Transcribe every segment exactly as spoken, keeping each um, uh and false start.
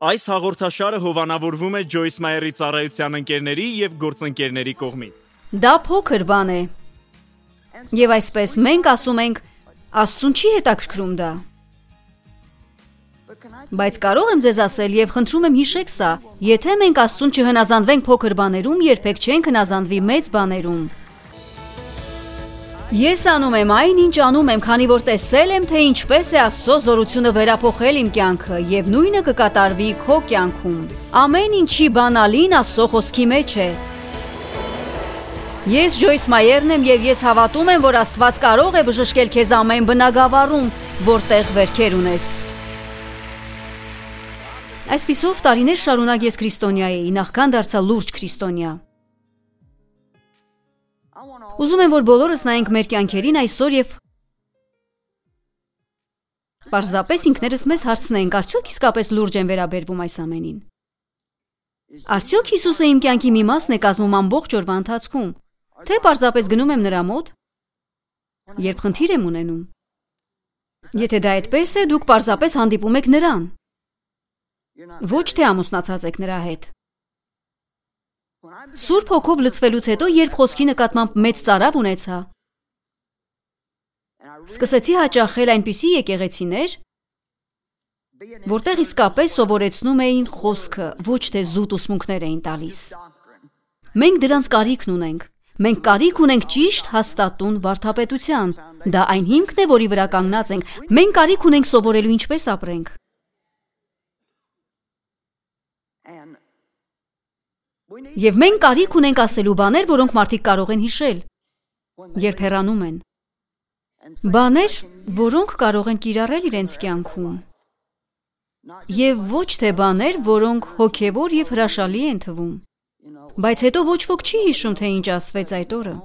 Այս հաղորդաշարը հովանավորվում է Ջոյս Մայերի ծառայության ընկերների և գործընկերների կողմից։ Դա փոքր բան է։ Եվ այսպես մենք ասում ենք, Աստծուն չի հետաքրքրում դա։ Բայց կարող եմ ձեզ ասել և խնդրում եմ հիշեք սա, եթե մենք Աստծուն չհնազանդվենք փոքր բաներում, երբեք չենք հնազանդվի մեծ բաներում։ Ես անում եմ այն, ինչ անում եմ, քանի որ տեսել եմ, թե ինչպես է Աստծո զորությունը վերափոխել իմ կյանքը, և նույնը կկատարվի քո կյանքում։ Ամեն ինչի բանալին Աստծո խոսքի մեջ է։ Ես Ջոյս Մայերն եմ և ես հավատում եմ, որ Աստված կարող է բժշկել քեզ ամեն բնագավառում, որտեղ վերքեր ունես։ Այսպիսով տարիներ շարունակ ես քրիստոնյա էի, նախքան դարձա լուրջ քրիստոնյա։ Ուզում եմ, որ բոլորս նայենք մեր կյանքերին այսօր և պարզապես ինքներս մեզ հարցնենք, արդյոք իսկապես լուրջ են վերաբերվում այս ամենին։ Արդյոք Հիսուսը իմ կյանքի մի մասն է կազմում ամբողջ օրվա ընթացքում, թե պարզապես գնում եմ նրա մոտ, երբ խնդիր եմ ունենում։ Եթե դա այդպես է, դուք պարզապես հանդիպում եք նրան, ոչ թե ամուսնացած եք նրա հետ։ Սուրբ Հոգով լցվելուց հետո, երբ խոսքի նկատմամբ մեծ ծարավ ունեցա, սկսեցի հաճախել այնպիսի եկեղեցիներ, որտեղ իսկապես սովորեցնում էին խոսքը, ոչ թե զուտ ուսմունքներ էին տալիս։ Մենք դրանց կարիքն ունենք։ Մենք կարիք ունենք ճիշտ հաստատուն վարդապետության։ Դա այն հիմքն է, որի վրա կանգնած ենք։ Մենք կարիք ունենք սովորելու ինչպես ապրենք։ Եվ մենք կարիք ունենք ասելու բաներ, որոնք մարդիկ կարող են հիշել, երբ հեռանում են։ Բաներ, որոնք կարող են կիրառել իրենց կյանքում։ Եվ ոչ թե բաներ, որոնք հոգևոր և հրաշալի են թվում։ Բայց հետո ոչ ոք չի հիշում, թե ինչ ասվեց այդ օրը։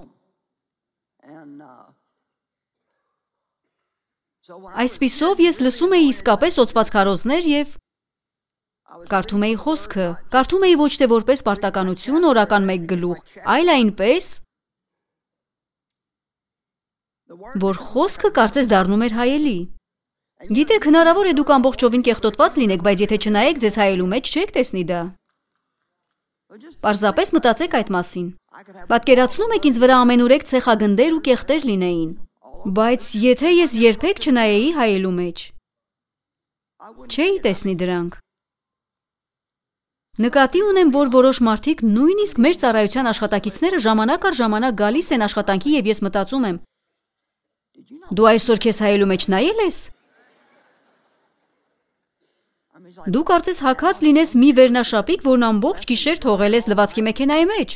Այսպիսով ես լսում էի իսկապես օծված քարոզներ և կարդում էի խոսքը, կարդում էի ոչ թե որպես պարտականություն, օրական մեկ գլուխ, այլ այնպես, որ խոսքը կարծես դառնում էր հայելի։ Գիտեք, հնարավոր է դուք ամբողջովին կեղտոտված լինեք, բայց եթե չնայեք ձեզ հայելու մեջ, չեք տեսնի դա։ Պարզապես մտածեք այդ մասին։ Պատկերացնում եք ինձ վրա ամենուրեք ցեխագնդեր ու կեղտեր լինեին, բայց եթե ես երբեք չնայեի հայելու մեջ, չէի տեսնի դրանք։ Նկատի ունեմ, որ որոշ մարդիկ նույնիսկ մեր ծառայության աշխատակիցները ժամանակ առ ժամանակ գալիս են աշխատանքի և ես մտածում եմ. Դու այսօր քեզ հայելու մեջ նայել ես։ Դու կարծես հագած լինես մի վերնաշապիկ, որն ամբողջ գիշեր թողել ես լվացքի մեքենայի մեջ։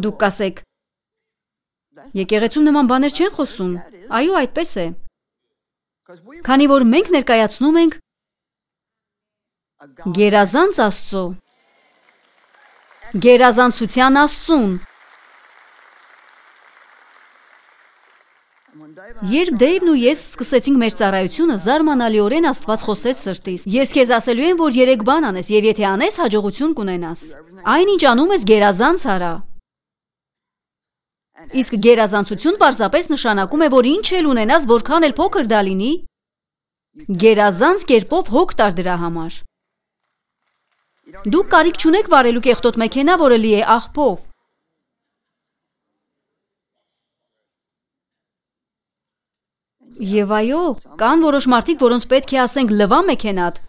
Դուք կասեք. Եկեղեցում նման բաներ չեն խոսում։ Այո, այդպես է։ Քանի որ մենք ներկայացնում ենք գերազանց Աստծո, գերազանցության Աստծուն։ Երբ Դեյվն ու ես սկսեցինք մեր ծառայությունը, զարմանալիորեն Աստված խոսեց սրտիս։ Ես քեզ ասելու եմ, որ երեք բան անես, և եթե անես, հաջողություն կունենաս։ Այն ինչ անում ես, գերազանց արա։ Իսկ գերազանցություն պարզապես նշանակում է, որ ինչ էլ ունենաս, որքան էլ փոքր դա լինի, գերազանց կերպով հոգ տար դրա համար։ Դուք կարիք չունեք վարելու կեղտոտ մեքենա, որը լի է աղբով։ Եվ այո, կան որոշ մարդիկ, որոնց պետք է ասենք լվա մեքենադ։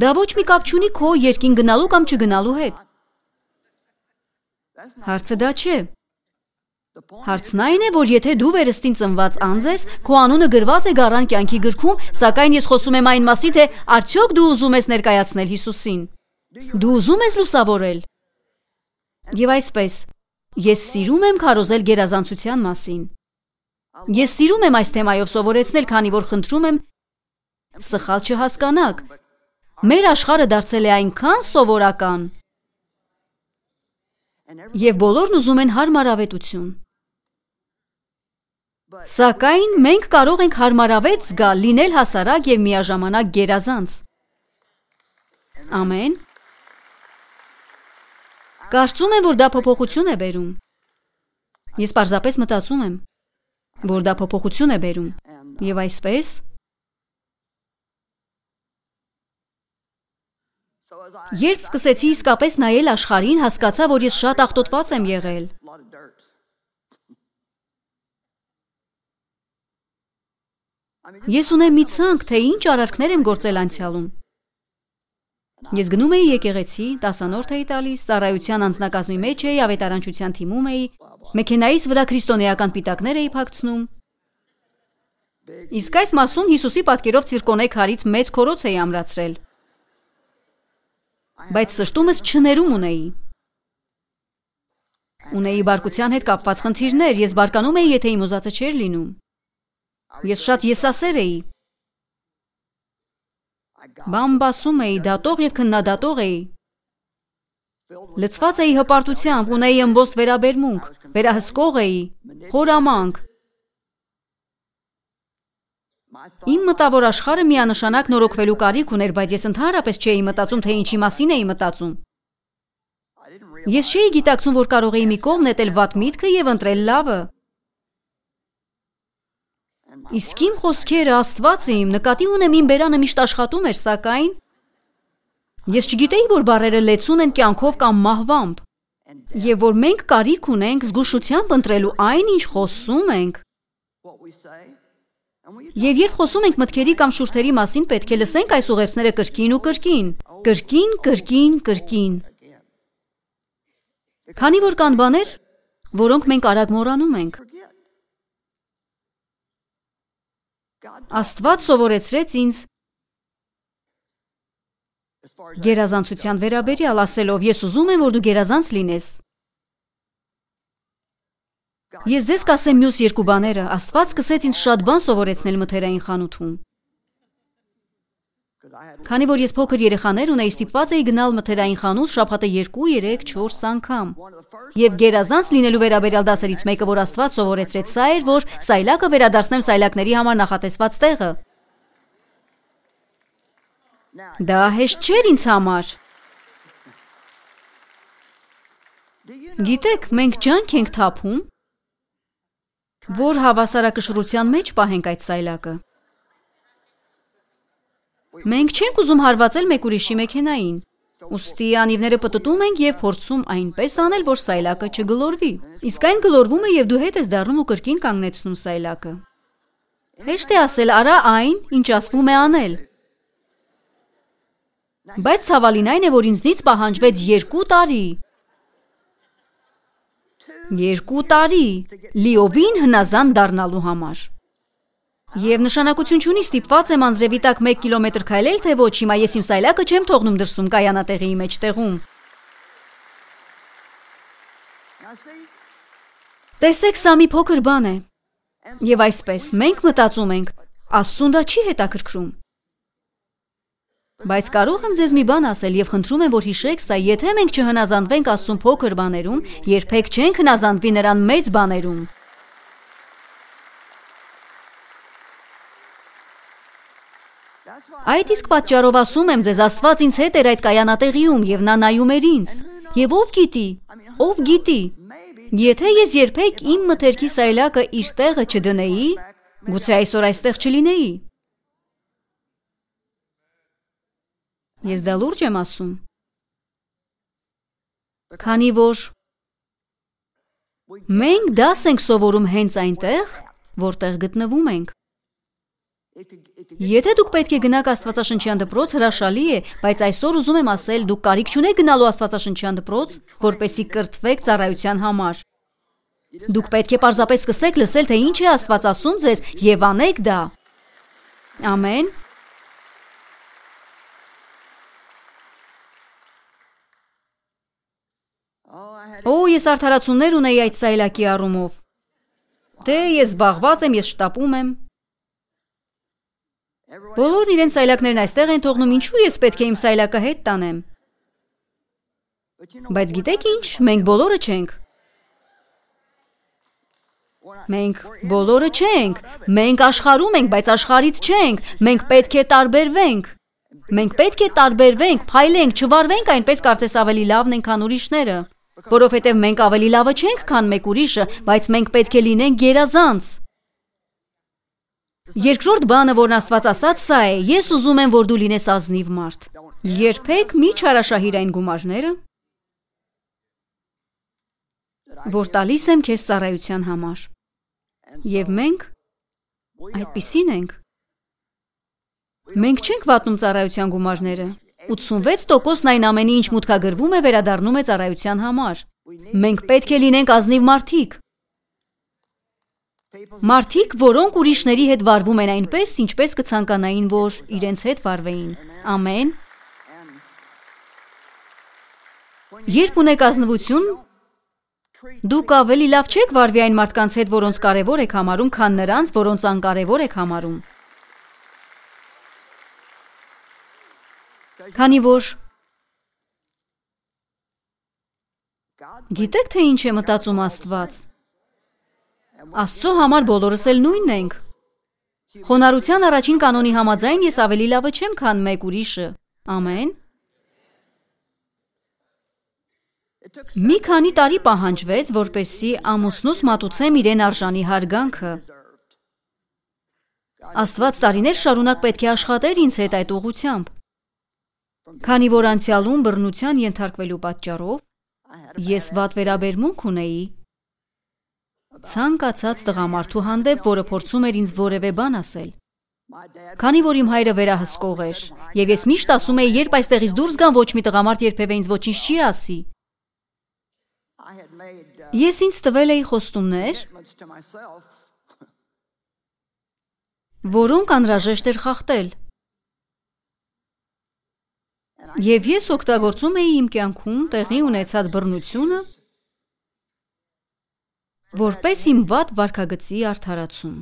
Դա ոչ մի կապ չունի քո երկին գնալու կամ չգնալու հետ։ Հարցը դա չէ։ Հարցն այն է, որ եթե դու վերստին ծնված անձ ես, քո անունը գրված է գառան կյանքի գրքում, սակայն ես խոսում եմ այն մասին, թե արդյոք դու ուզում ես ներկայացնել Հիսուսին։ Դու ուզում ես լուսավորել։ Եվ այսպես, ես սիրում եմ քարոզել գերազանցության մասին։ Ես սիրում եմ այս թեմայով սովորեցնել, քանի որ խնդրում եմ սխալ չհասկանաք։ Մեր աշխարհը դարձել է այնքան սովորական, և բոլորն ուզում են հարմարավետություն։ Սակայն մենք կարող ենք հարմարավետ զգալ, լինել հասարակ և միաժամանակ գերազանց։ Ամեն։ Կարծում եմ, որ դա փոփոխություն է բերում։ Ես պարզապես մտածում եմ, որ դա փոփոխություն է բերում։ Եվ այսպես Երբ սկսեցի իսկապես նայել աշխարհին, հասկացա, որ ես շատ աղտոտված եմ եղել։ Ես ունեմ մի ցանկ, թե ինչ արարքներ եմ գործել անցյալում։ Ես գնում էի եկեղեցի, տասանորդ էի տալիս, ծառայության անձնակազմի մեջ էի, ավետարանչության թիմում էի, մեքենայիս վրա քրիստոնեական պիտակներ էի փակցնում։ Իսկ այս մասում Հիսուսի պատկերով ցիրկոնե քարից մեծ քորոց էի ամրացրել։ Բայց սշտումս չներում ունեի։ Ունեի բարկության հետ կապված խնդիրներ, ես բարկանում էի, եթե իմ ուզածը չէր լինում։ Ես շատ եսասեր էի։ Բամբասում էի, դատող և քննադատող էի։ Լցված էի հպարտությամբ, ունեի ըմբոստ վերաբերմունք, վերահսկող էի, խորամանկ։ Իմ մտավոր աշխարհը միանշանակ նորոգվելու կարիք ուներ, բայց ես ընդհանրապես չէի մտածում, թե ինչի մասին էի մտածում։ Ես չէի գիտակցում, որ կարող էի մի կողմ նետել վատ միտքը և ընտրել լավը։ Իսկ իմ խոսքերը, Աստված իմ, նկատի ունեմ իմ բերանը միշտ աշխատում էր, սակայն ես չգիտեի, որ բառերը լեցուն են կյանքով կամ մահվամբ, և որ մենք կարիք ունենք զգուշությամբ ընտրելու այն, ինչ խոսում ենք։ Եվ երբ խոսում ենք մտքերի կամ շուրթերի մասին, պետք է լսենք այս ուղերձները կրկին ու կրկին, կրկին, կրկին, կրկին։ Քանի որ կան բաներ, որոնք մենք արագ մոռանում ենք։ Աստված սովորեցրեց ինձ գերազանցության վերաբերյալ, ասելով, ես ուզում եմ, որ դու գերազանց լինես։ Ես ձեզ կասեմ մյուս երկու բաները, Աստված սկսեց ինձ շատ բան սովորեցնել մթերային խանութում։ Քանի որ ես փոքր երեխաներ ունեի, ստիպված էի գնալ մթերային խանութ շաբաթը երկու, երեք, չորս անգամ։ Եվ գերազանց լինելու վերաբերյալ դասերից մեկը, որ Աստված սովորեցրեց, սա էր, որ սայլակը վերադարձնեմ սայլակների համար նախատեսված տեղը։ Դա հեշտ չէր ինձ համար։ Գիտեք, մենք ջանք ենք թափում, որ հավասարակշռության մեջ պահենք այդ սայլակը։ Մենք չենք ուզում հարվածել մեկ ուրիշի մեքենային, ուստի անիվները պտտում ենք և փորձում այնպես անել, որ սայլակը չգլորվի։ Իսկ այն գլորվում է և դու հետ ես դառնում ու կրկին կանգնեցնում սայլակը։ Հեշտ է ասել, արա այն, ինչ ասվում է անել։ Բայց ցավալին այն է, որ ինձնից պահանջվեց երկու տարի։ Երկու տարի լիովին հնազանդ դառնալու համար։ Եվ նշանակություն չունի ստիպված եմ անձրևի տակ մեկ կիլոմետր քայլել, թե ոչ, հիմա ես իմ սայլակը չեմ թողնում դրսում կայանատեղիի մեջտեղում։ Տեսեք, սա մի փոքր բան է։ Եվ այսպես, մենք մտածում ենք, Աստծուն դա չի հետաքրքրում։ Բայց կարող եմ ձեզ մի բան ասել և խնդրում եմ, որ հիշեք սա, եթե մենք չհնազանդվենք Աստծուն փոքր բաներում, երբեք չենք հնազանդվի նրան մեծ բաներում։ Այդ իսկ պատճառով ասում եմ ձեզ, Աստված ինձ հետ էր այդ կայանատեղիում և նա նայում էր ինձ։ Եվ ով գիտի, ով գիտի, եթե ես երբեք իմ մթերքի սայլակը իր տեղը չդնեի, գուցե այսօր այստեղ չլինեի։ Ես դա լուրջ եմ ասում։ Քանի որ մենք դաս ենք սովորում հենց այնտեղ, որտեղ գտնվում ենք։ Եթե դուք պետք է գնաք Աստվածաշնչյան դպրոց, հրաշալի է, բայց այսօր ուզում եմ ասել, դուք կարիք չունեք գնալու Աստվածաշնչյան դպրոց, որպեսզի կրթվեք ծառայության համար։ Դուք պետք է պարզապես սկսեք լսել, թե ինչ է Աստված ասում ձեզ, և անեք դա։ Ամեն։ Օ, ես արդարացումներ ունեի այդ սայլակի առումով։ Դե, ես զբաղված եմ, ես շտապում եմ։ Բոլորն իրենց սայլակներն այստեղ են թողնում, ինչու ես պետք է իմ սայլակը հետ տանեմ։ Բայց գիտեք ինչ, մենք բոլորը չենք։ Մենք բոլորը չենք, մենք աշխարհում ենք, բայց աշխարհից չենք, մենք պետք է տարբերվենք։ Մենք պետք է տարբերվենք, փայլենք, չվարվենք այնպես, կարծես ավելի լավն ենք, քան ուրիշները, որովհետև մենք ավելի լավը չենք, քան մեկ ուրիշը, բայց մենք պետք է լինենք գերազանց։ Երկրորդ բանը, որն Աստված ասաց, սա է. ես ուզում եմ, որ դու լինես ազնիվ մարդ։ Երբեք մի չարաշահիր այն գումարները, որ տալիս եմ քեզ ծառայության համար։ Եվ մենք այդպիսին ենք։ Մենք չենք վատնում ծառայության գումարները։ ութսունվեց տոկոսն այն ամենի, ինչ մուտքագրվում է, վերադառնում է ծառայության համար։ Մենք պետք է լինենք ազնիվ մարդիկ։ Մարդիկ, որոնք ուրիշների հետ վարվում են այնպես, ինչպես կցանկանային, որ իրենց հետ վարվեին։ Ամեն։ Երբ ունեք ազնվություն, դուք ավելի լավ չեք վարվի այն մարդկանց հետ, որոնց կարևոր եք համարում, քան նրանց, որոնց անկարևոր եք համարում։ Քանի որ գիտեք, թե ինչ է մտածում Աստված։ Աստծո համար բոլորս էլ նույնն ենք։ Խոնարհության առաջին կանոնի համաձայն ես ավելի լավը չեմ, քան մեկ ուրիշը։ Ամեն։ Մի քանի տարի պահանջվեց, որպեսզի ամուսնուս մատուցեմ իրեն արժանի հարգանքը։ Աստված տարիներ շարունակ պետք է աշխատեր ինձ հետ այդ ուղղությամբ։ Քանի որ անցյալում բռնության ենթարկվելու պատճառով ես վատ վերաբերմունք ունեի ցանկացած տղամարդու հանդեպ, որը փորձում էր ինձ որևէ բան ասել։ Քանի որ իմ հայրը վերահսկող էր, եւ ես միշտ ասում էի, երբ այստեղից դուրս գամ, ոչ մի տղամարդ երբևէ ինձ ոչինչ չի ասի։ Ես ինձ տվել էի խոստումներ, որոնք անհրաժեշտ էր խախտել։ Եվ ես օգտագործում էի իմ կյանքում տեղի ունեցած բռնությունը որպես իմ վատ վարքագծի արդարացում։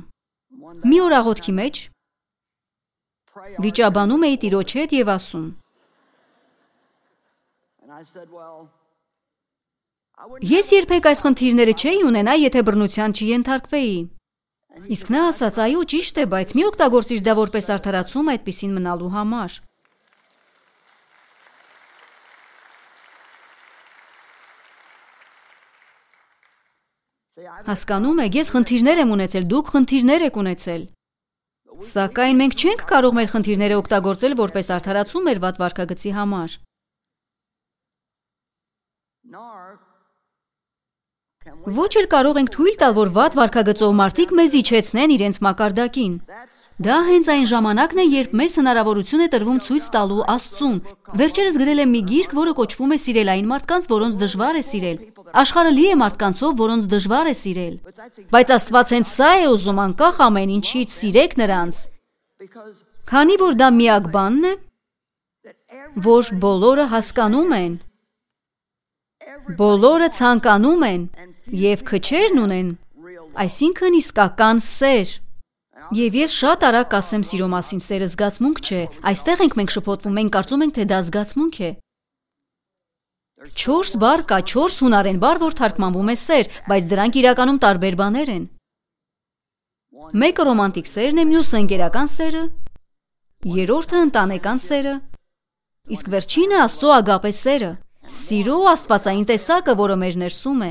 Մի օր աղոթքի մեջ վիճաբանում էի Տիրոջ հետ եւ ասում. Ես երբեք այս խնդիրները չէի ունենա, եթե բռնության չենթարկվեի։ Իսկ նա ասաց, այո, ճիշտ է, բայց մի օգտագործիր դա որպես արդարացում այդպիսին մնալու համար։ Հասկանում եք, ես խնդիրներ եմ ունեցել, դուք խնդիրներ եք ունեցել։ Սակայն մենք չենք կարող մեր խնդիրները օգտագործել որպես արդարացում մեր վատ վարքագծի համար։ Ոչ էլ կարող ենք թույլ տալ, որ վատ վարքագծով մարդիկ մեզ իջեցնեն իրենց մակարդակին։ Դա հենց այն ժամանակն է, երբ մեզ հնարավորություն է տրվում ցույց տալու Աստծուն։ Վերջերս գրել եմ մի գիրք, որը կոչվում է Սիրել այն մարդկանց, որոնց դժվար է սիրել։ Աշխարհը լի է մարդկանցով, որոնց դժվար է սիրել։ Բայց Աստված հենց սա է ուզում, անկախ ամեն ինչից, սիրեք նրանց։ Քանի որ դա միակ բանն է, որ բոլորը հասկանում են, բոլորը ցանկանում են եւ քչերն ունեն, այսինքն իսկական սեր։ Եվ ես շատ արագ կասեմ սիրո մասին, սերը զգացմունք չէ, այստեղ ենք մենք շփոթվում, մենք կարծում ենք, թե դա զգացմունք է։ Չորս բառ կա, չորս հունարեն բառ, որ թարգմանվում է սեր, բայց դրանք իրականում տարբեր բաներ են։ Մեկը ռոմանտիկ սերն է, մյուսը ընկերական սերը, երրորդը ընտանեկան սերը, իսկ վերջինը Աստծո ագապե սերը, սիրո աստվածային տեսակը, որը մեր ներսում է։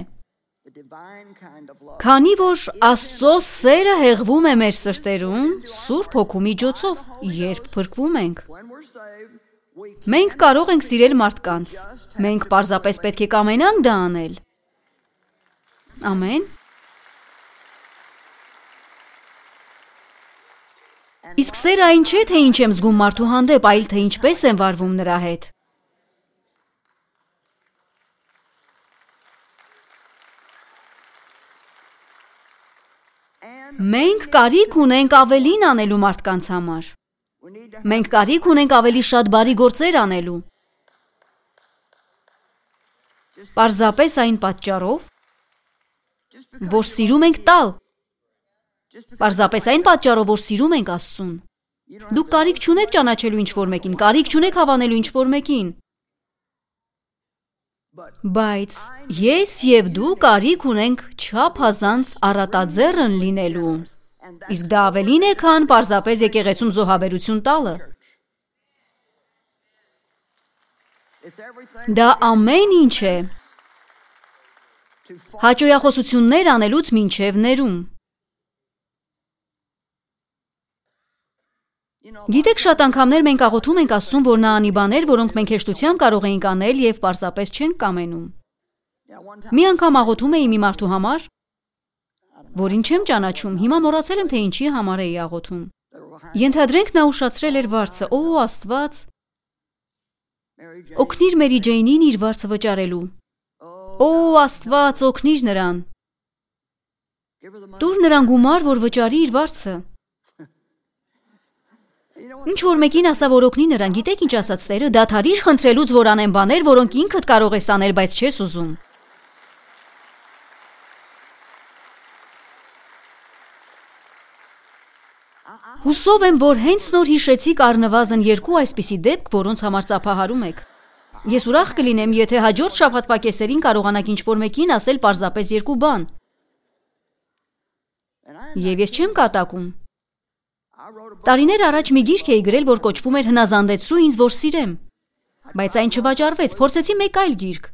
Քանի որ Աստծո սերը հեղվում է մեր սրտերում Սուրբ Հոգու միջոցով, երբ փրկվում ենք։ Մենք կարող ենք սիրել մարդկանց, մենք պարզապես պետք է կամենանք դա անել։ Ամեն։ Իսկ սերը այն չէ, թե ինչ եմ զգում մարդու հանդեպ, այլ թե ինչպես եմ վարվում նրա հետ։ Մենք կարիք ունենք ավելին անելու մարդկանց համար։ Մենք կարիք ունենք ավելի շատ բարի գործեր անելու։ Պարզապես այն պատճառով, որ սիրում ենք տալ։ Պարզապես այն պատճառով, որ սիրում ենք Աստծուն։ Դուք կարիք չունեք ճանաչելու ինչ-որ մեկին, կարիք չունեք հավանելու ինչ-որ մեկին։ Բայց ես եւ դու կարիք ունենք չափազանց առատաձեռն լինելու, իսկ դա ավելին է, քան պարզապես եկեղեցում զոհաբերություն տալը։ Դա ամեն ինչ է, հաճոյախոսություններ անելուց մինչև ներում։ Գիտեք, շատ անգամներ մենք աղոթում ենք Աստծուն, որ նա անի բաներ, որոնք մենք հեշտությամբ կարող էինք անել եւ պարզապես չենք կամենում։ Մի անգամ աղոթում էի մի մարդու համար, որին չեմ ճանաչում, հիմա մոռացել եմ, թե ինչի համար էի աղոթում։ Ենթադրենք նա ուշացրել էր վարձը։ Օ, Աստված, օգնիր Մերի Ջեյնին իր վարձը վճարելու։ Օ, Աստված, օգնիր նրան։ Տուր նրան գումար, որ վճարի իր վարձը։ Ինչ որ մեկին ասա, որ օգնի նրան, գիտեք ինչ ասաց Տերը, դադարիր խնդրելուց, որ անեն բաներ, որոնք ինքդ կարող ես անել, բայց չես ուզում։ Հուսով եմ, որ հենց նոր հիշեցիք առնվազն երկու այսպիսի դեպք, որոնց համար ծափահարում եք։ Ես ուրախ կլինեմ, եթե հաջորդ շաբաթվա կեսերին կարողանաք ինչ-որ մեկին ասել պարզապես երկու բան։ Եվ ես չեմ կատակում։ Տարիներ առաջ մի գիրք էի գրել, որ կոչվում էր «Հնազանդեցրու ինձ, որ սիրեմ», բայց այն չվաճառվեց, փորձեցի մեկ այլ գիրք։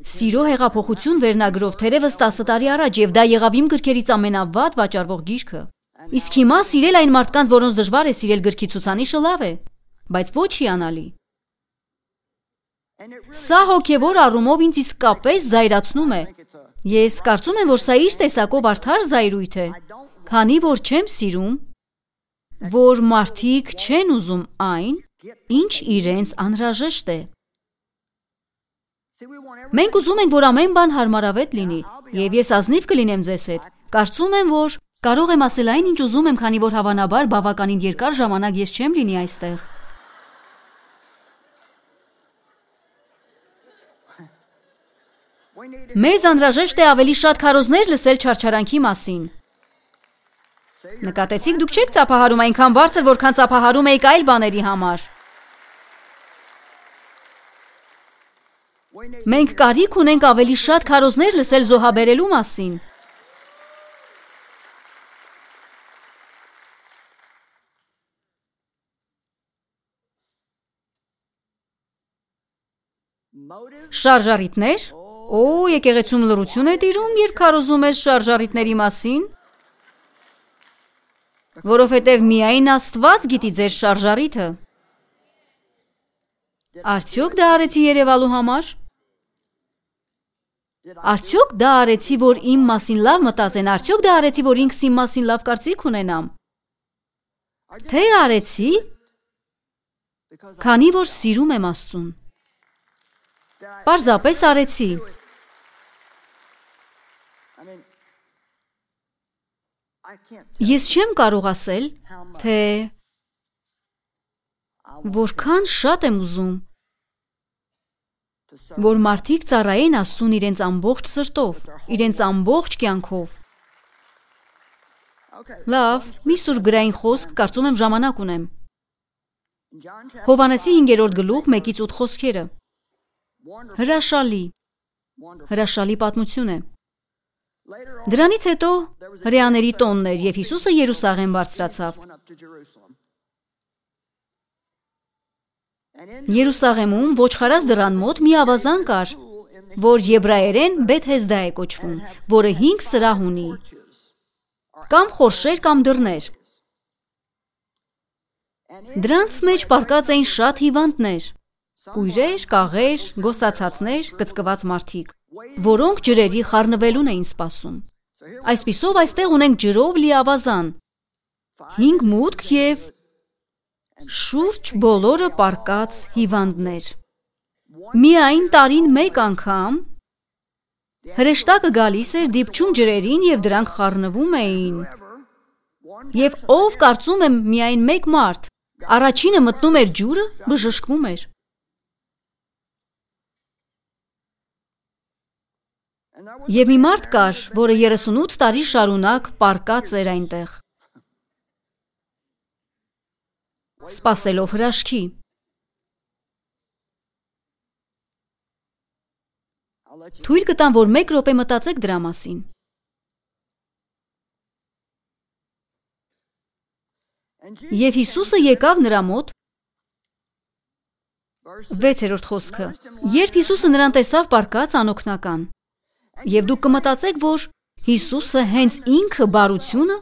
Սիրո հեղափոխություն վերնագրով թերևս տասը տարի առաջ, եւ դա եղավ իմ գրքերից ամենավատ վաճառվող գիրքը։ Իսկ հիմա սիրել այն մարդկանց, որոնց դժվար է սիրել գրքի ցուցանիշը լավ է, բայց ոչ հիանալի։ Սա հոգևոր առումով ինձ իսկապես զայրացնում է։ Ես կարծում եմ, որ սա իր տեսակով արդար զայրույթ է, քանի որ չեմ սիրում, որ մարդիկ չեն ուզում այն, ինչ իրենց անհրաժեշտ է։ Մենք ուզում ենք, որ ամեն բան հարմարավետ լինի, եւ ես ազնիվ կլինեմ ձեզ հետ։ Կարծում եմ, որ կարող եմ ասել այն, ինչ ուզում եմ, քանի որ հավանաբար բավականին երկար ժամանակ ես չեմ լինի այստեղ։ Մեզ անհրաժեշտ է ավելի շատ քարոզներ լսել չարչարանքի մասին։ Նկատեցիք, դուք չեք ծափահարում այնքան բարձր, որքան ծափահարում եք այլ բաների համար։ Մենք կարիք ունենք ավելի շատ քարոզներ լսել զոհաբերելու մասին։ Շարժառիթներ։ Օ, եկեղեցում լռություն է տիրում, երբ քարոզում ես շարժառիթների մասին։ Որովհետև միայն Աստված գիտի ձեր շարժառիթը։ Արդյոք դա արեցի երևալու համար։ Արդյոք դա արեցի, որ իմ մասին լավ մտածեն, արդյոք դա արեցի, որ ինքս իմ մասին լավ կարծիք ունենամ։ Թե արեցի, քանի որ սիրում եմ Աստծուն։ Պարզապես արեցի։ Ես չեմ կարող ասել, թե որքան շատ եմ ուզում, որ մարդիկ ծառայեն Աստծուն իրենց ամբողջ սրտով, իրենց ամբողջ կյանքով։ Լավ, մի սուրբ գրային խոսք, կարծում եմ ժամանակ ունեմ։ Հովհաննեսի հինգերորդ գլուխ մեկից ութ խոսքերը։ Հրաշալի, հրաշալի պատմություն է։ Դրանից հետո հրեաների տոնն էր, եւ Հիսուսը Երուսաղեմ բարձրացավ։ Երուսաղեմում ոչխարած դռան մոտ մի ավազան կար, որ եբրայերեն Բեթհեսդա է կոչվում, որը հինգ սրահ ունի, կամ խորշեր կամ դռներ։ Դրանց մեջ պառկած էին շատ հիվանդներ, կույրեր, կաղեր, գոսացածներ, կծկված մարդիկ, որոնք ջրերի խառնվելուն էին սպասում։ Այսպիսով այստեղ ունենք ջրով լի ավազան, հինգ մուտք եւ շուրջ բոլորը պառկած հիվանդներ։ Միայն տարին մեկ անգամ հրեշտակը գալիս էր, դիպչում ջրերին եւ դրանք խառնվում էին։ Եվ ով կարծում եմ միայն մեկ մարդ, առաջինը մտնում էր ջուրը, բժշկվում էր։ Եվ մի մարդ կար, որը երեսունութ տարի շարունակ պառկած էր այնտեղ, սպասելով հրաշքի։ Թույլ կտամ, որ մեկ րոպե մտածեք դրա մասին։ Եվ Հիսուսը եկավ նրա մոտ, վեցերորդ խոսքը, երբ Հիսուսը նրան տեսավ պառկած անօգնական, եւ դուք կմտածեք, որ Հիսուսը հենց ինքը բարությունը,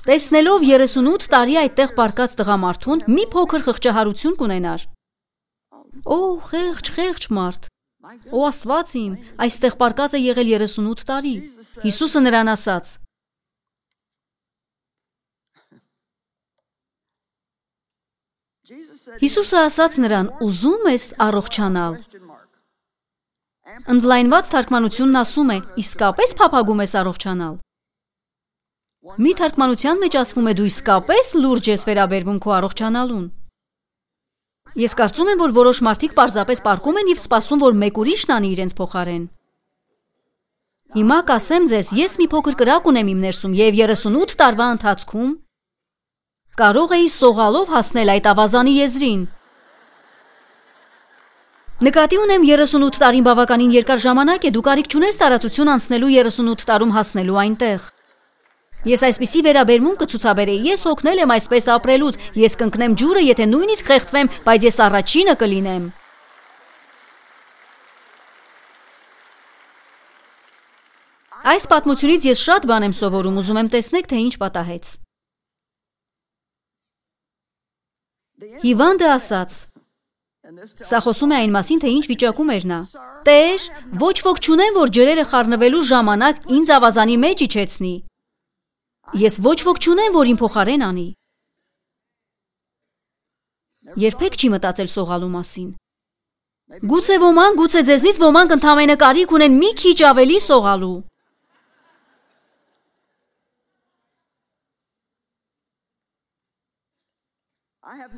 Տեսնելով երեսունութ տարի այդտեղ պառկած տղամարդուն, մի փոքր խղճահարություն կունենար։ Օ, խեղճ, խեղճ մարդ։ Օ, Աստված իմ, այստեղ պառկած է եղել երեսունութ տարի։ Հիսուսը նրան ասաց. Հիսուսը ասաց նրան. ուզում ես առողջանալ։ Ընդլայնված թարգմանությունն ասում է. իսկապես փափագում ես առողջանալ։ Մի թարգմանության մեջ ասվում է դու իսկապես լուրջ ես վերաբերվում քո առողջանալուն։ Ես կարծում եմ, որ որոշ մարդիկ պարզապես պառկում են և սպասում, որ մեկ ուրիշն անի իրենց փոխարեն։ Հիմա կասեմ ձեզ, ես մի փոքր կրակ ունեմ իմ ներսում և երեսունութ տարվա ընթացքում կարող էի սողալով հասնել այդ ավազանի եզրին։ Նկատի ունեմ երեսունութ տարին բավականին երկար ժամանակ է, դու կարիք չունես տարածություն անցնելու երեսունութ տարում հասնելու այնտեղ։ Ես այսպիսի վերաբերմունք կցուցաբերեի, ես օգնել եմ այսպես ապրելուց, ես կընկնեմ ջուրը, եթե նույնիսկ խեղդվեմ, բայց ես առաջինը կլինեմ։ Այս պատմությունից ես շատ բան եմ սովորում, ուզում եմ տեսնեք, թե ինչ պատահեց։ Հիվանդը ասաց. Սա խոսում է այն մասին, թե ինչ վիճակում էր նա։ Տեր, ոչ ոք չունեմ, որ ջրերը խառնվելու ժամանակ ինձ ավազանի մեջ իջեցնի։ Ես ոչ ոք չունեմ, որ իմ փոխարեն անի։ Երբեք չի մտածել սողալու մասին։ Գուցե ոմանք, գուցե ձեզնից ոմանք ընդամենը կարիք ունեն մի քիչ ավելի սողալու։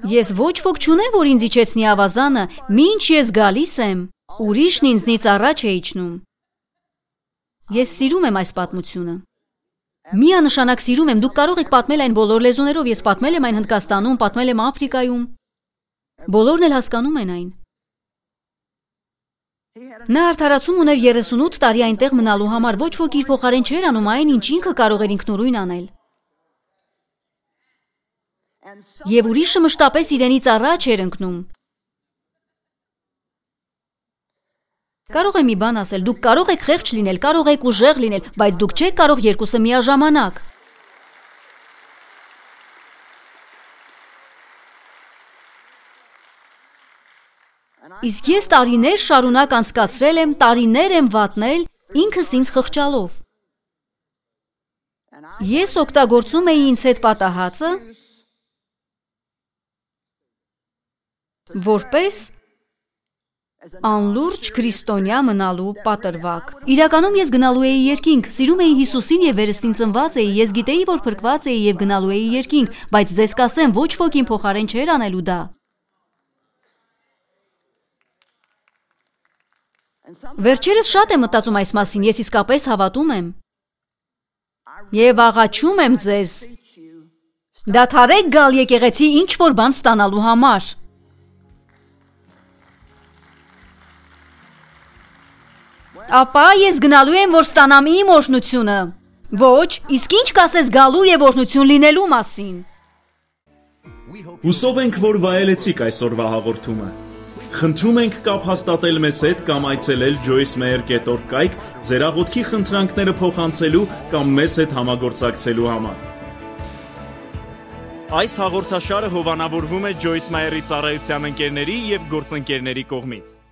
Ես ոչ ոք չունեմ, որ ինձ իջեցնի ավազանը, մինչ ես գալիս եմ, ուրիշն ինձնից առաջ է իջնում։ Ես սիրում եմ այս պատմությունը։ Միանշանակ սիրում եմ, դուք կարող եք պատմել այն բոլոր լեզուներով, ես պատմել եմ այն Հնդկաստանում, պատմել եմ Աֆրիկայում։ Բոլորն էլ հասկանում են այն։ Նա արդարացում ուներ երեսունութ տարի այնտեղ մնալու համար, ոչ ոք իր փոխարեն չէր անում այն, ինչ ինքը կարող էր ինքնուրույն անել։ Եվ ուրիշը մշտապես իրենից առաջ էր ընկնում։ Կարող եմ մի բան ասել, դուք կարող եք խեղճ լինել, կարող եք ուժեղ լինել, բայց դուք չեք կարող երկուսը միաժամանակ։ Իսկ ես տարիներ շարունակ անցկացրել եմ, տարիներ եմ վատնել, ինքս ինձ խղճալով։ Ես օգտագործում էի ինձ հետ պատահածը, որպես անլուրջ քրիստոնյա մնալու պատրվակ։ Իրականում ես գնալու էի երկինք, սիրում էի Հիսուսին և վերստին ծնված էի, ես գիտեի, որ փրկված էի և գնալու էի երկինք, բայց ձեզ կասեմ, ոչ ոք իմ փոխարեն չէր անելու դա։ Վերջերս շատ եմ մտածում այս մասին, ես իսկապես հավատում եմ։ Եվ աղաչում եմ ձեզ, դադարեք գալ եկեղեցի ինչ-որ բան ստանալու համար։ Ապա ես գնալու եմ, որ ստանամ իմ օրհնությունը։ Ոչ, իսկ ինչ կասես գալու և օրհնություն լինելու մասին։ Հուսով ենք, որ վայելեցիք այսօրվա հաղորդումը։ Խնդրում ենք կապ հաստատել մեզ հետ կամ այցելել joyce meyer dot org կայք ձեր աղոթքի խնդրանքները փոխանցելու կամ մեզ հետ համագործակցելու համար։ Այս հաղորդաշարը հովանավորվում է Joyce Meyer-ի ծառայության ընկերների և գործընկերների կողմից։